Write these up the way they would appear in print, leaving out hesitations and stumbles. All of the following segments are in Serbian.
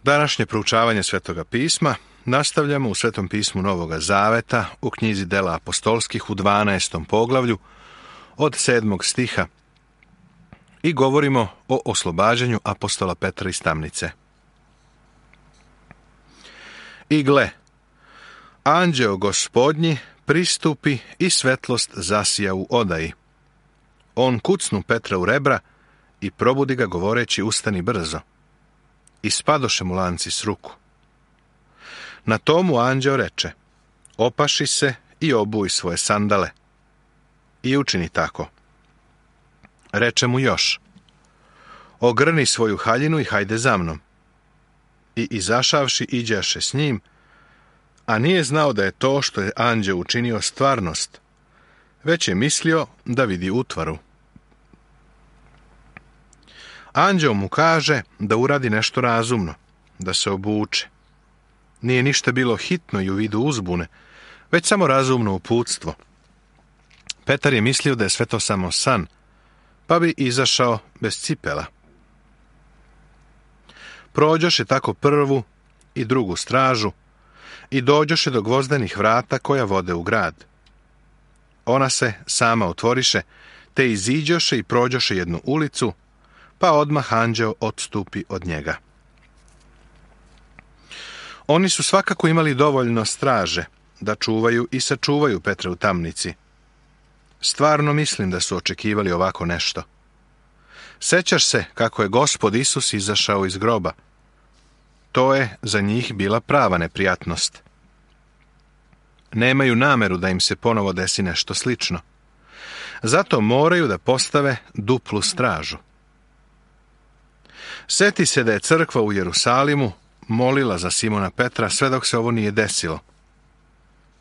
Današnje proučavanje Svetoga pisma nastavljamo u Svetom pismu Novoga Zaveta u knjizi Dela apostolskih u 12. poglavlju od 7. stiha i govorimo o oslobađanju apostola Petra iz tamnice. I gle, anđeo Gospodnji pristupi i svetlost zasija u odaji. On kucnu Petra u rebra i probudi ga govoreći: ustani brzo. I spadoše mu lanci s ruku. Na tomu anđeo reče: opaši se i obuj svoje sandale. I učini tako. Reče mu još: ogrni svoju haljinu i hajde za mnom. I izašavši iđaše s njim, a nije znao da je to što je anđeo učinio stvarnost, već je mislio da vidi utvaru. Anđeo mu kaže da uradi nešto razumno, da se obuče. Nije ništa bilo hitno i u vidu uzbune, već samo razumno uputstvo. Petar je mislio da je sve to samo san, pa bi izašao bez cipela. Prođoše tako prvu i drugu stražu i dođoše do gvozdenih vrata koja vode u grad. Ona se sama otvoriše, te iziđoše i prođoše jednu ulicu, pa odmah anđeo odstupi od njega. Oni su svakako imali dovoljno straže da čuvaju i sačuvaju Petra u tamnici. Stvarno mislim da su očekivali ovako nešto. Sećaš se kako je Gospod Isus izašao iz groba? To je za njih bila prava neprijatnost. Nemaju nameru da im se ponovo desi nešto slično. Zato moraju da postave duplu stražu. Seti se da je crkva u Jerusalimu molila za Simona Petra sve dok se ovo nije desilo.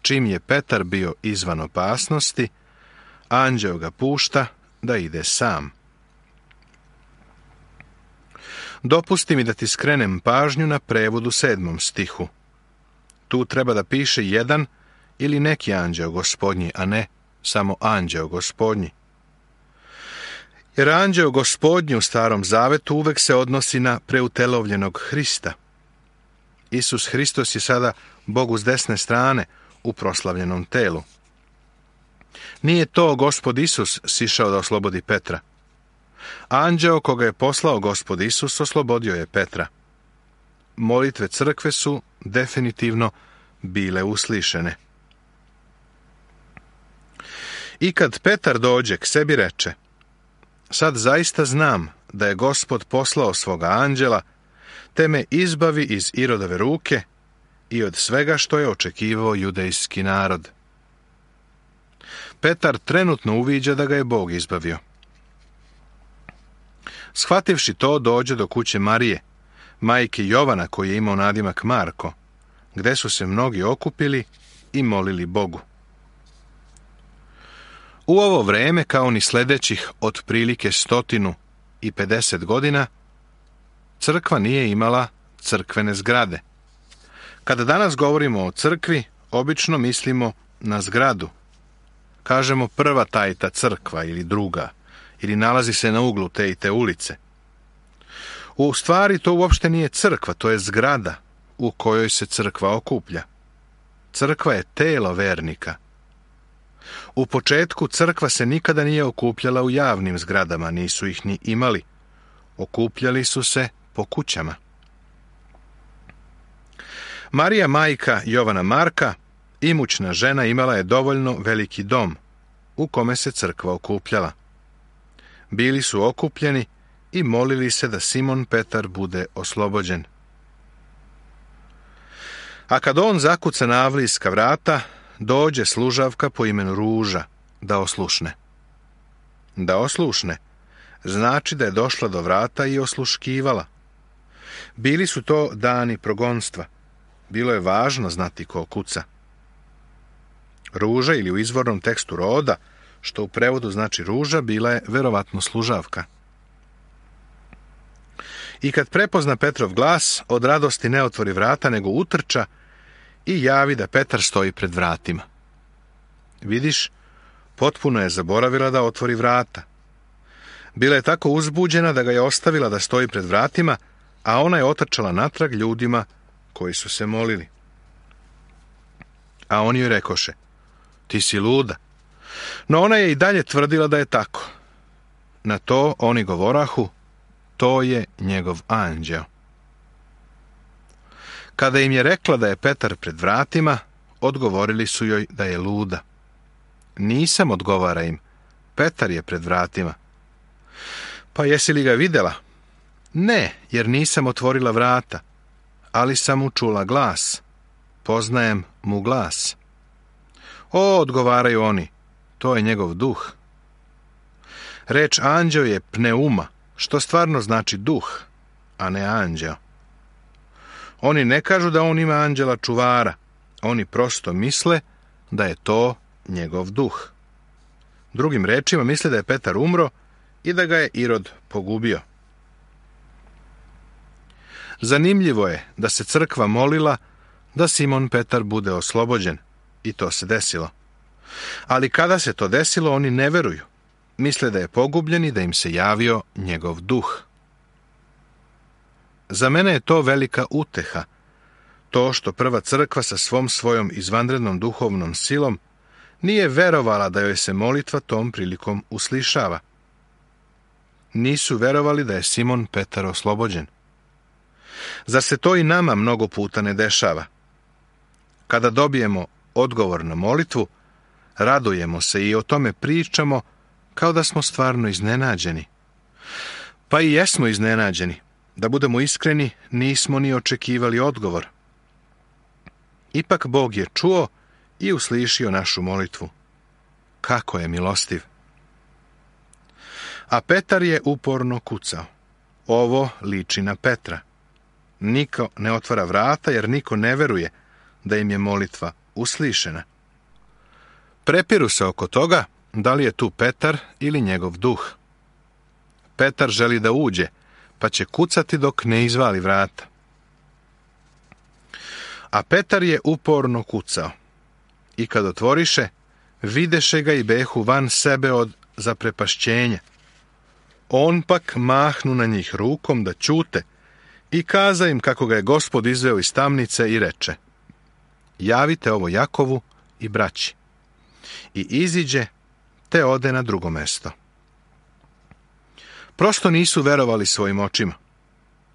Čim je Petar bio izvan opasnosti, anđeo ga pušta da ide sam. Dopusti mi da ti skrenem pažnju na prevodu 7. stihu. Tu treba da piše jedan ili neki anđeo Gospodnji, a ne samo anđeo Gospodnji. Jer anđeo Gospodnji u Starom Zavetu uvek se odnosi na preutelovljenog Hrista. Isus Hristos je sada Bogu s desne strane u proslavljenom telu. Nije to Gospod Isus sišao da oslobodi Petra. Anđeo koga je poslao Gospod Isus oslobodio je Petra. Molitve crkve su definitivno bile uslišene. I kad Petar dođe k sebi reče: sad zaista znam da je Gospod poslao svoga anđela, te me izbavi iz Irodove ruke i od svega što je očekivao judejski narod. Petar trenutno uviđa da ga je Bog izbavio. Shvativši to, dođe do kuće Marije, majke Jovana koji je imao nadimak Marko, gde su se mnogi okupili i molili Bogu. U ovo vreme, kao ni sledećih otprilike 150 godina, crkva nije imala crkvene zgrade. Kada danas govorimo o crkvi, obično mislimo na zgradu. Kažemo prva tajta crkva ili druga, ili nalazi se na uglu te i te ulice. U stvari to uopšte nije crkva, to je zgrada u kojoj se crkva okuplja. Crkva je telo vernika. U početku crkva se nikada nije okupljala u javnim zgradama, nisu ih ni imali. Okupljali su se po kućama. Marija, majka Jovana Marka, imućna žena, imala je dovoljno veliki dom u kome se crkva okupljala. Bili su okupljeni i molili se da Simon Petar bude oslobođen. A kad on zakuca na avlijska vrata, dođe služavka po imenu Ruža da oslušne. Da oslušne znači da je došla do vrata i osluškivala. Bili su to dani progonstva. Bilo je važno znati ko kuca. Ruža, ili u izvornom tekstu Roda, što u prevodu znači ruža, bila je verovatno služavka. I kad prepozna Petrov glas, od radosti ne otvori vrata, nego utrča i javi da Petar stoji pred vratima. Vidiš, potpuno je zaboravila da otvori vrata. Bila je tako uzbuđena da ga je ostavila da stoji pred vratima, a ona je otrčala natrag ljudima koji su se molili. A oni joj rekoše: ti si luda. No ona je i dalje tvrdila da je tako. Na to oni govorahu: to je njegov anđeo. Kada im je rekla da je Petar pred vratima, odgovorili su joj da je luda. Nisam, odgovara im, Petar je pred vratima. Pa jesi li ga vidjela? Ne, jer nisam otvorila vrata, ali sam mu čula glas. Poznajem mu glas. O, odgovaraju oni, to je njegov duh. Reč anđeo je pneuma, što stvarno znači duh, a ne anđeo. Oni ne kažu da on ima anđela čuvara, oni prosto misle da je to njegov duh. Drugim rečima, misle da je Petar umro i da ga je Irod pogubio. Zanimljivo je da se crkva molila da Simon Petar bude oslobođen, i to se desilo. Ali kada se to desilo, oni ne veruju. Misle da je pogubljen i da im se javio njegov duh. Za mene je to velika uteha, to što prva crkva sa svojom izvanrednom duhovnom silom nije verovala da joj se molitva tom prilikom uslišava. Nisu verovali da je Simon Petar oslobođen. Zar se to i nama mnogo puta ne dešava? Kada dobijemo odgovor na molitvu, radujemo se i o tome pričamo kao da smo stvarno iznenađeni. Pa i jesmo iznenađeni. Da budemo iskreni, nismo ni očekivali odgovor. Ipak Bog je čuo i uslišio našu molitvu. Kako je milostiv! A Petar je uporno kucao. Ovo liči na Petra. Niko ne otvara vrata, jer niko ne veruje da im je molitva uslišena. Prepiru se oko toga da li je tu Petar ili njegov duh. Petar želi da uđe, pa će kucati dok ne izvali vrata. A Petar je uporno kucao. I kad otvoriše, videše ga i behu van sebe od zaprepašćenja. On pak mahnu na njih rukom da ćute i kaza im kako ga je Gospod izveo iz tamnice i reče: javite ovo Jakovu i braći. I iziđe, te ode na drugo mesto. Prosto nisu verovali svojim očima.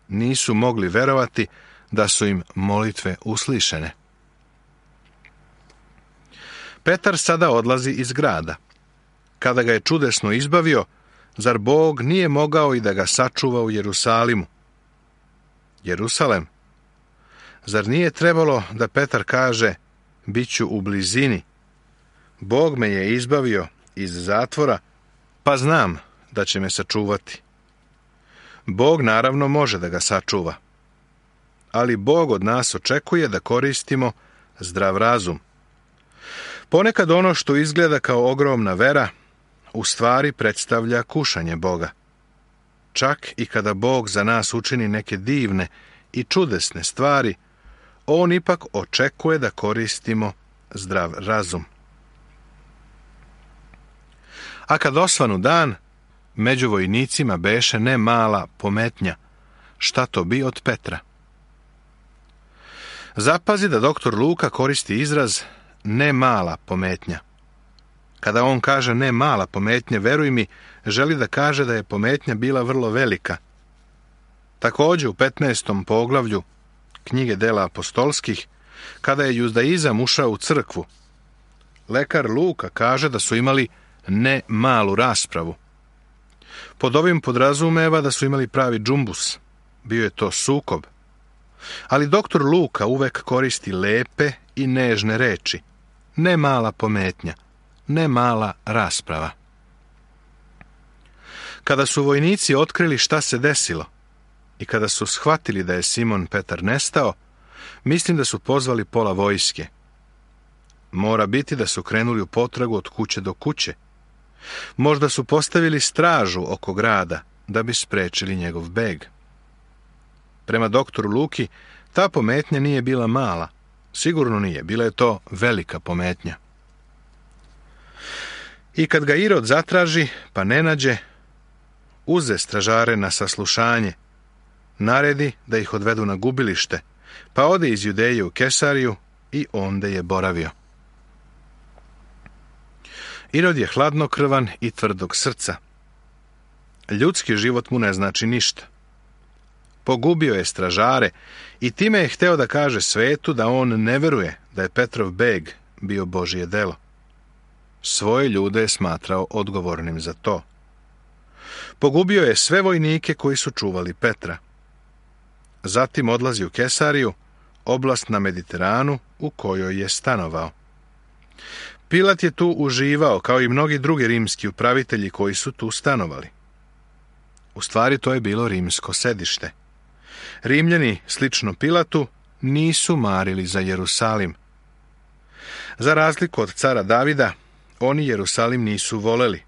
Nisu mogli verovati da su im molitve uslišene. Petar sada odlazi iz grada. Kada ga je čudesno izbavio, zar Bog nije mogao i da ga sačuva u Jerusalimu? Jerusalem? Zar nije trebalo da Petar kaže: biću u blizini? Bog me je izbavio iz zatvora, pa znam da će me sačuvati. Bog naravno može da ga sačuva. Ali Bog od nas očekuje da koristimo zdrav razum. Ponekad ono što izgleda kao ogromna vera, u stvari predstavlja kušanje Boga. Čak i kada Bog za nas učini neke divne i čudesne stvari, on ipak očekuje da koristimo zdrav razum. A kad osvanu dan, među vojnicima beše ne mala pometnja. Šta to bi od Petra? Zapazi da doktor Luka koristi izraz ne mala pometnja. Kada on kaže ne mala pometnja, veruj mi, želi da kaže da je pometnja bila vrlo velika. Također u 15. poglavlju knjige Dela apostolskih, kada je judaizam ušao u crkvu, lekar Luka kaže da su imali ne malu raspravu. Pod ovim podrazumeva da su imali pravi džumbus. Bio je to sukob. Ali doktor Luka uvek koristi lepe i nežne reči. Ne mala pometnja, ne mala rasprava. Kada su vojnici otkrili šta se desilo i kada su shvatili da je Simon Petar nestao, mislim da su pozvali pola vojske. Mora biti da su krenuli u potragu od kuće do kuće. Možda su postavili stražu oko grada da bi sprečili njegov beg. Prema doktoru Luki, ta pometnja nije bila mala. Sigurno nije, bila je to velika pometnja. I kad ga Irod zatraži, pa ne nađe, uze stražare na saslušanje. naredi da ih odvedu na gubilište, pa ode iz Judeje u Kesariju i onde je boravio. Irod je hladnokrvan i tvrdog srca. Ljudski život mu ne znači ništa. Pogubio je stražare i time je hteo da kaže svetu da on ne veruje da je Petrov beg bio Božje delo. Svoje ljude je smatrao odgovornim za to. Pogubio je sve vojnike koji su čuvali Petra. Zatim odlazi u Kesariju, oblast na Mediteranu u kojoj je stanovao. Pilat je tu uživao, kao i mnogi drugi rimski upravitelji koji su tu stanovali. U stvari to je bilo rimsko sedište. Rimljani, slično Pilatu, nisu marili za Jerusalim. Za razliku od cara Davida, oni Jerusalim nisu voleli.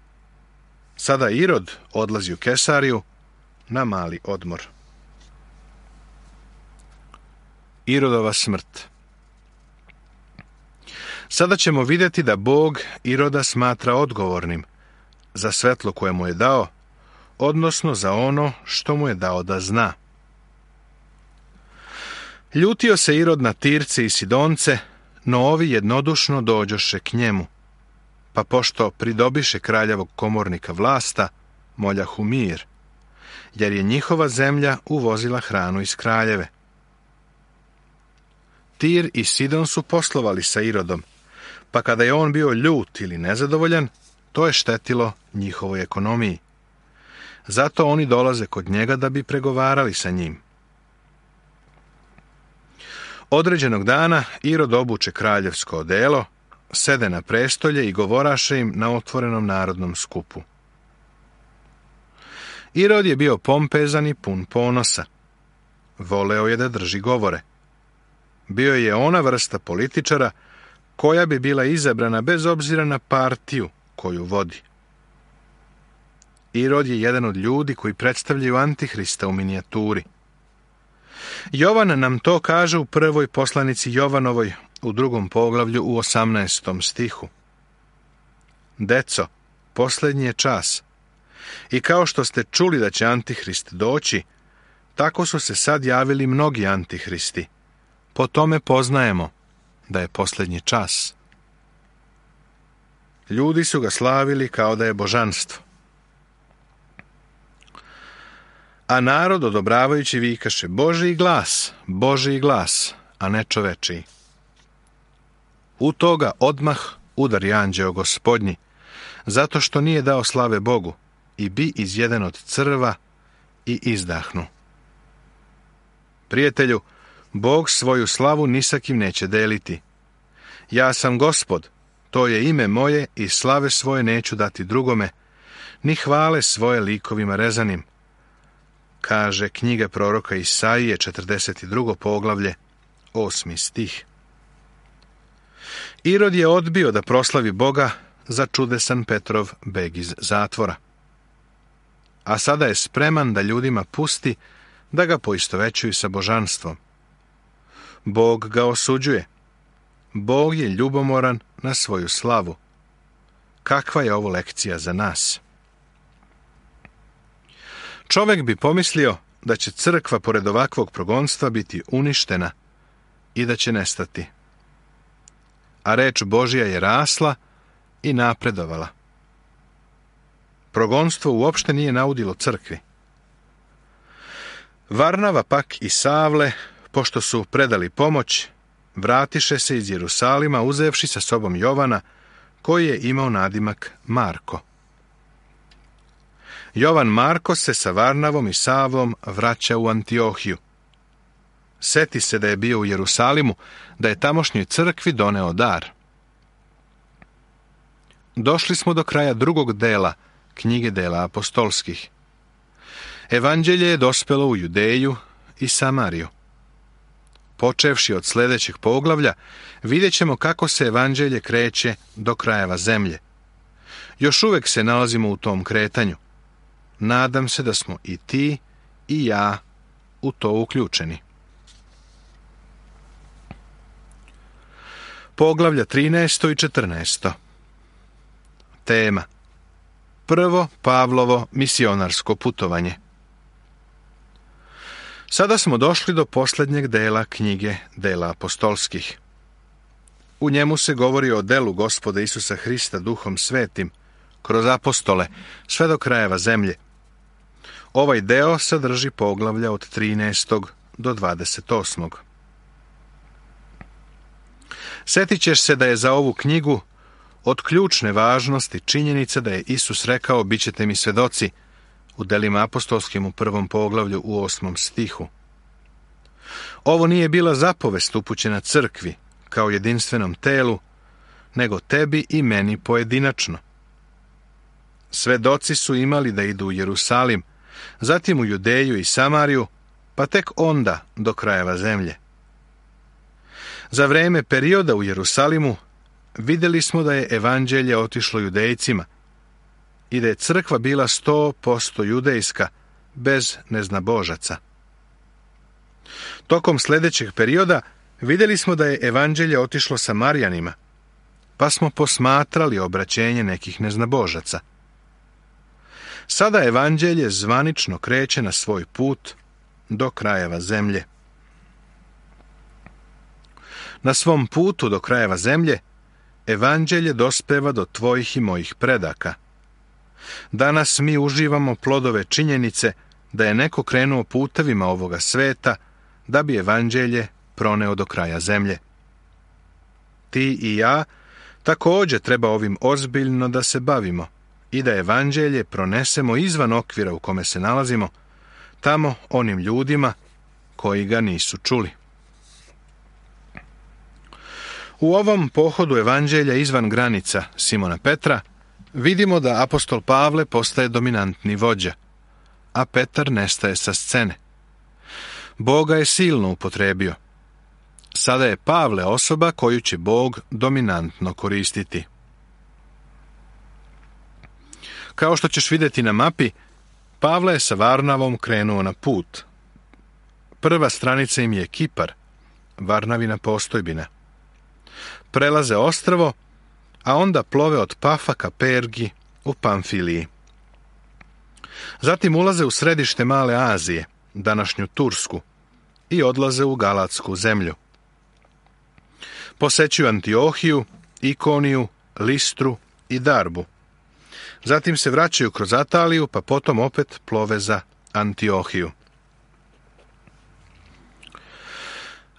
Sada Irod odlazi u Kesariju na mali odmor. Irodova smrt. Sada ćemo vidjeti da Bog Iroda smatra odgovornim za svetlo koje mu je dao, odnosno za ono što mu je dao da zna. Ljutio se Irod na Tirce i Sidonce, no ovi jednodušno dođoše k njemu, pa pošto pridobiše kraljevog komornika vlasta, moljahu mir, jer je njihova zemlja uvozila hranu iz kraljeve. Tir i Sidon su poslovali sa Irodom, pa kada je on bio ljut ili nezadovoljan, to je štetilo njihovoj ekonomiji. Zato oni dolaze kod njega da bi pregovarali sa njim. Određenog dana Irod obuče kraljevsko odelo, sede na prestolje i govoraše im na otvorenom narodnom skupu. Irod je bio pompezan i pun ponosa. Voleo je da drži govore. Bio je ona vrsta političara koja bi bila izabrana bez obzira na partiju koju vodi. Irod je jedan od ljudi koji predstavljaju Antihrista u minijaturi. Jovan nam to kaže u prvoj poslanici Jovanovoj u 2. poglavlju u 18. stihu. Deco, posljednji je čas. I kao što ste čuli da će Antihrist doći, tako su se sad javili mnogi Antihristi. Po tome poznajemo da je posljednji čas. Ljudi su ga slavili kao da je božanstvo. A narod odobravajući vikaše Božji glas, a ne čovečiji. U toga odmah udari anđeo Gospodnji, zato što nije dao slave Bogu, i bi izjeden od crva i izdahnu. Prijatelju, Bog svoju slavu ni sa kim neće deliti. Ja sam Gospod, to je ime moje, i slave svoje neću dati drugome, ni hvale svoje likovima rezanim, kaže knjiga proroka Isaije, 42. poglavlje, 8. stih. Irod je odbio da proslavi Boga za čudesan Petrov beg iz zatvora. A sada je spreman da ljudima pusti da ga poistovećuju sa božanstvom. Bog ga osuđuje. Bog je ljubomoran na svoju slavu. Kakva je ovo lekcija za nas? Čovjek bi pomislio da će crkva pored ovakvog progonstva biti uništena i da će nestati. A reč Božja je rasla i napredovala. Progonstvo uopšte nije naudilo crkvi. Varnava pak i Savle, pošto su predali pomoć, vratiše se iz Jerusalima uzevši sa sobom Jovana, koji je imao nadimak Marko. Jovan Marko se sa Varnavom i Savlom vraća u Antiohiju. Seti se da je bio u Jerusalimu, da je tamošnjoj crkvi doneo dar. Došli smo do kraja drugog dela knjige dela apostolskih. Evanđelje je dospelo u Judeju i Samariju. Počevši od sljedećeg poglavlja, vidjet ćemo kako se evanđelje kreće do krajeva zemlje. Još uvijek se nalazimo u tom kretanju. Nadam se da smo i ti i ja u to uključeni. Poglavlja 13. i 14. Tema: Prvo Pavlovo misionarsko putovanje. Sada smo došli do posljednjeg dela knjige Dela apostolskih. U njemu se govori o delu Gospoda Isusa Hrista Duhom Svetim, kroz apostole, sve do krajeva zemlje. Ovaj deo sadrži poglavlja od 13. do 28. Sjetit ćeš se da je za ovu knjigu od ključne važnosti činjenica da je Isus rekao: bit ćete mi svedoci, u Delima apostolskim u 1. poglavlju u 8. stihu. Ovo nije bila zapovest upućena crkvi kao jedinstvenom telu, nego tebi i meni pojedinačno. Svedoci su imali da idu u Jerusalim, zatim u Judeju i Samariju, pa tek onda do krajeva zemlje. Za vrijeme perioda u Jerusalimu vidjeli smo da je evanđelje otišlo judejcima i da je crkva bila 100% judejska, bez neznabožaca. Tokom sljedećeg perioda vidjeli smo da je evanđelje otišlo Samarijanima, pa smo posmatrali obraćenje nekih neznabožaca. Sada evanđelje zvanično kreće na svoj put do krajeva zemlje. Na svom putu do krajeva zemlje evanđelje dospeva do tvojih i mojih predaka. Danas mi uživamo plodove činjenice da je neko krenuo putevima ovoga sveta da bi evanđelje proneo do kraja zemlje. Ti i ja također treba ovim ozbiljno da se bavimo i da evanđelje pronesemo izvan okvira u kome se nalazimo, tamo onim ljudima koji ga nisu čuli. U ovom pohodu evanđelja izvan granica Simona Petra vidimo da apostol Pavle postaje dominantni vođa, a Petar nestaje sa scene. Bog ga je silno upotrijebio. Sada je Pavle osoba koju će Bog dominantno koristiti. Kao što ćeš vidjeti na mapi, Pavle je sa Varnavom krenuo na put. Prva stranica im je Kipar, Varnavina postojbina. Prelaze ostrvo, a onda plove od Pafa ka Pergi u Pamfiliji. Zatim ulaze u središte Male Azije, današnju Tursku, i odlaze u Galatsku zemlju. Posećuju Antiohiju, Ikoniju, Listru i Darbu. Zatim se vraćaju kroz Ataliju, pa potom opet plove za Antiohiju.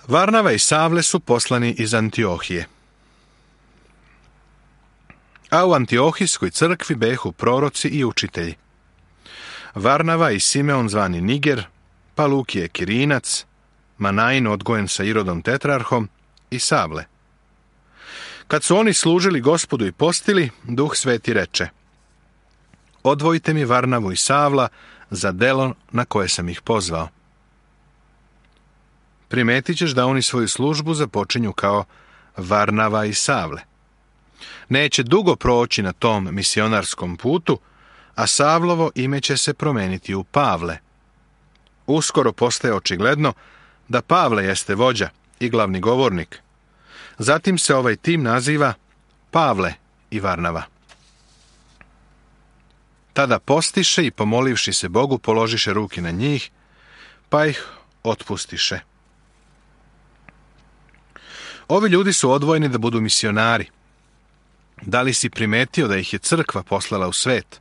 Varnava i Savle su poslani iz Antiohije. A u Antiohijskoj crkvi behu proroci i učitelji. Varnava i Simeon zvani Niger, pa Lukije Kirinac, Manain odgojen sa Irodom tetrarhom i Savle. Kad su oni služili Gospodu i postili, Duh Sveti reče: odvojite mi Varnavu i Savla za delo na koje sam ih pozvao. Primetit ćeš da oni svoju službu započinju kao Varnava i Savle. Neće dugo proći na tom misionarskom putu, a Savlovo ime će se promeniti u Pavle. Uskoro postaje očigledno da Pavle jeste vođa i glavni govornik. Zatim se ovaj tim naziva Pavle i Varnava. Tada postiše i pomolivši se Bogu položiše ruke na njih, pa ih otpustiše. Ovi ljudi su odvojeni da budu misionari. Da li si primetio da ih je crkva poslala u svet?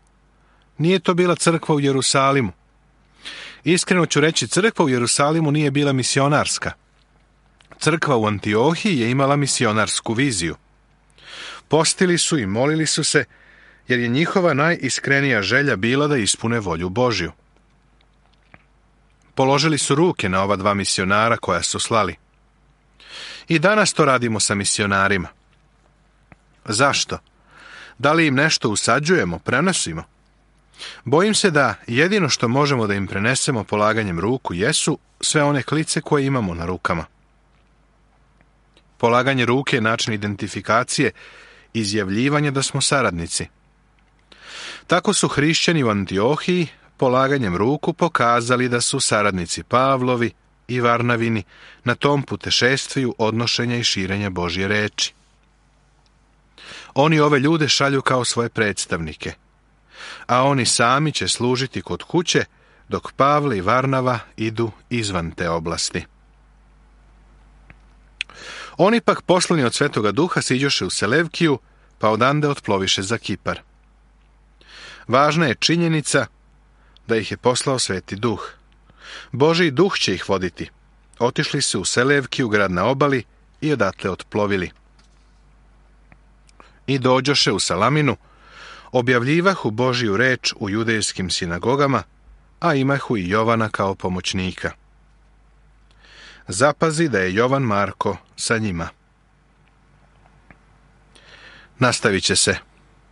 Nije to bila crkva u Jerusalimu. Iskreno ću reći, crkva u Jerusalimu nije bila misionarska. Crkva u Antiohiji je imala misionarsku viziju. Postili su i molili su se, jer je njihova najiskrenija želja bila da ispune volju Božju. Položili su ruke na ova dva misionara koja su slali. I danas to radimo sa misionarima. Zašto? Da li im nešto usađujemo, prenosimo? Bojim se da jedino što možemo da im prenesemo polaganjem ruku jesu sve one klice koje imamo na rukama. Polaganje ruke je način identifikacije, izjavljivanja da smo saradnici. Tako su hrišćani u Antiohiji polaganjem ruku pokazali da su saradnici Pavlovi i Varnavini na tom putešestviju odnošenja i širenja Božje reči. Oni ove ljude šalju kao svoje predstavnike, a oni sami će služiti kod kuće dok Pavle i Varnava idu izvan te oblasti. Oni pak poslani od Svetoga Duha siđoše u Selevkiju, pa odande otploviše za Kipar. Važna je činjenica da ih je poslao Sveti Duh. Božji Duh će ih voditi. Otišli su u Selevkiju, grad na obali, i odatle otplovili. I dođoše u Salaminu, objavljivahu Božju reč u judejskim sinagogama, a imahu i Jovana kao pomoćnika. Zapazi da je Jovan Marko sa njima. Nastavit će se.